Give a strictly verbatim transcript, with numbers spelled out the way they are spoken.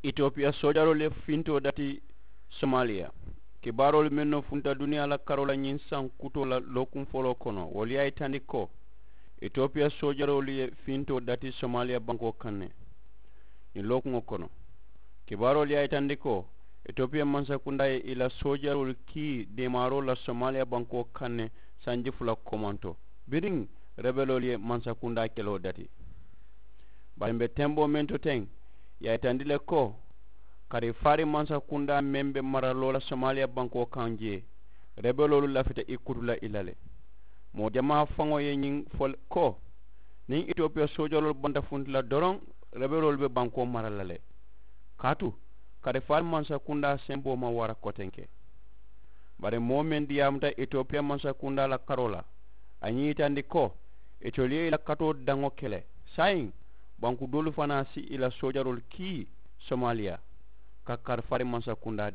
Itopiya soojaroolu ye fintoo dati somaliya. Kibaaroolu mennu funta duniyaa la karoo la ñiŋ saŋ kutoo la lookuŋ foloo kono wolu ye a yitandi ko itopiya soojaroolu ye fintoo dati somaliya bankoo kaŋ ne. Ñiŋ lookuŋo kono kibaaroolu ye a yitandi ko itopiya mansakundaa ye i la soojaroolu kii deemaaroo la somaliya bankoo kaŋ ne sanji fula komanto biriŋ rebeloolu ye mansakundaa keloo dati. Bari m̀ be tenboo meŋ to teŋ ì ye a yitandi le ko karifaari mansakundaa meŋ be mara loo la somaliya bankoo kaŋ jee rebeloolu lafita i kutu la i la le. Moo jamaa faŋo ye ñiŋ fo ko niŋ itopiya soojaloolu banta funti la doroŋ rebeloolu be bankoo mara la le. Kaatu karifaari mansakundaa semboo maŋ wara kotenke. Bari moo meŋ diyaamuta itopiya mansakundaa la karoo la a ye ñiŋ yitandi ko itolu ye i la katoo daŋo ke le saayiŋ banku doolu fanaa si i la soojaroolu kii somaliya ka karifaari mansakundaa